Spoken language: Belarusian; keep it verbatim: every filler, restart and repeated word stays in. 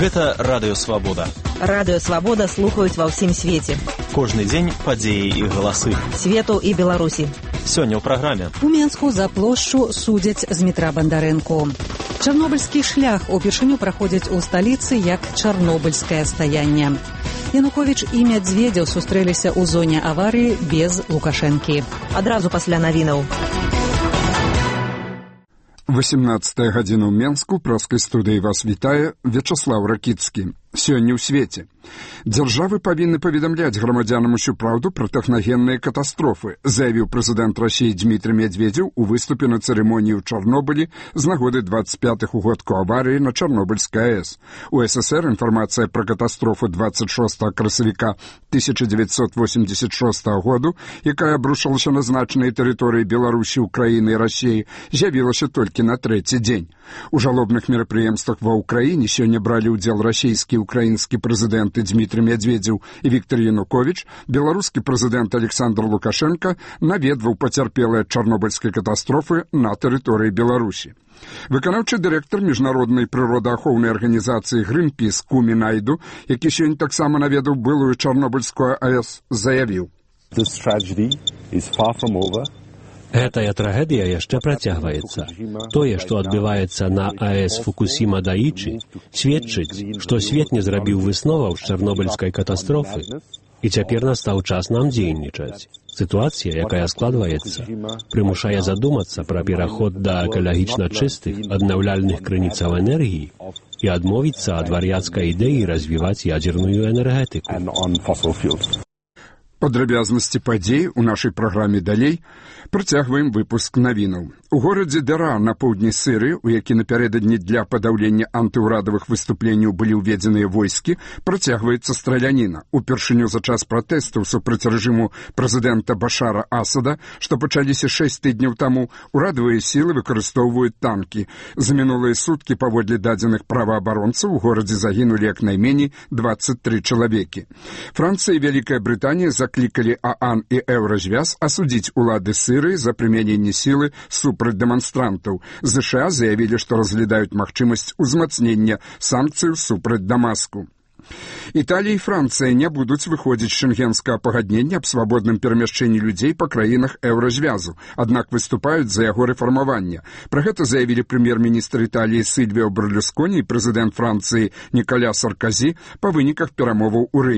Гэта Радыё Свабода. Радыё Свабода слухаюць ва ўсім свеце. Кожны дзень падзеі і галасы. Свету і Беларусі. Сёння ў праграме. У Менску за плошчу судзяць Змітра Бандарэнку. Чарнобыльскі шлях упершыню праходзіць у сталіцы як чарнобыльскае стаянне. Януковіч і Мядзведзеў сустрэліся ў зоне аварыі без Лукашэнкі. Адразу пасля навінаў. восемнадцатая гадзіна ў Менску, праскай студыі вас вітае Вячаслаў Ракіцкі. Сёння ў свеце. Дзяржавы павінны паведамляць грамадзянам усю праўду пра тэхнагенныя катастрофы, заявіў прэзідэнт Расіі Дмітрый Мядзведзеў у выступе на цырымоніі ў Чарнобылі з нагоды двадцать пятых угодку аварыі на Чарнобыльскай АЭС. У СССР інфармацыя пра катастрофу двадцать шостага красавіка тысяча девятьсот восемьдесят шостага году, якая абрушылася на значныя тэрыторыі Беларусі, Украіны і Расіі, з'явілася толькі на трэці дзень. У жалобных мерапрыемствах ва ўкраіне сёння бралі ўдзел расійскі і украінскі прэзідэнты Дмітрый Мядзведзеў і Віктор Януковіч, беларускі прэзідэнт Александр Лукашенко наведваў пацярпелыя ад чарнобыльскай катастрофы на тэрыторыі Беларусі. Выканаўчы дырэктар міжнароднай прыродаахоўнай арганізацыі «Гринпіс» Кумі Найду, які сёння таксама наведаў былую чарнобыльскую АЭС, заявіў: Гэтая трагедыя яшчэ працягваецца. Тое, што адбываецца на АЭС Фукусіма-Даічы, сведчыць, што свет не зрабіў высноваў з чарнобыльскай катастрофы, і цяпер настаў час нам дзейнічаць. Сітуацыя, якая складваецца, прымушае задумацца пра пераход да экалагічна чыстых, аднаўляльных крыніцаў энергіі і адмовіцца ад вар'яцкай ідэі развіваць ядзерную энергетыку. Падрабязнасці падзей у нашай праграме далей. Працягваем выпуск навінаў. У горадзе Дера на поўдні Сырыі, у які напярэдадні для падаўлення антыўрадавых выступленняў былі ўведзеныя войскі, працягваецца страляніна. Упершыню за час пратэстаў супраць рэжыму прэзідэнта Башара Асада, што пачаліся шэсць тыдняў таму, урадавыя сілы выкарыстоўваюць танкі. За мінулыя суткі, паводле дадзеных праваабаронцаў, у горадзе загінулі як найменей двадцать три чалавекі. Францыя і Вялікая Брытанія заклікалі ААН і Еўразвяз асудзіць улады Сырыі за прымяненне сілы супраць дэманстрантаў. ЗША заявілі, што разглядаюць магчымасць узмацнення санкцыяў супраць Дамаску. Італія і Францыя не будуць выходзіць з шэнгенскага пагаднення аб свабодным перамяшчэнні людзей па краінах Еўразвязу, аднак выступаюць за яго рэфармаванне. Пра гэта заявілі прэм'ер-міністр Італіі Сільвіо Берлюсконі і прэзідэнт Францыі Ніколя Саркозі па выніках перамоваў у Рыме.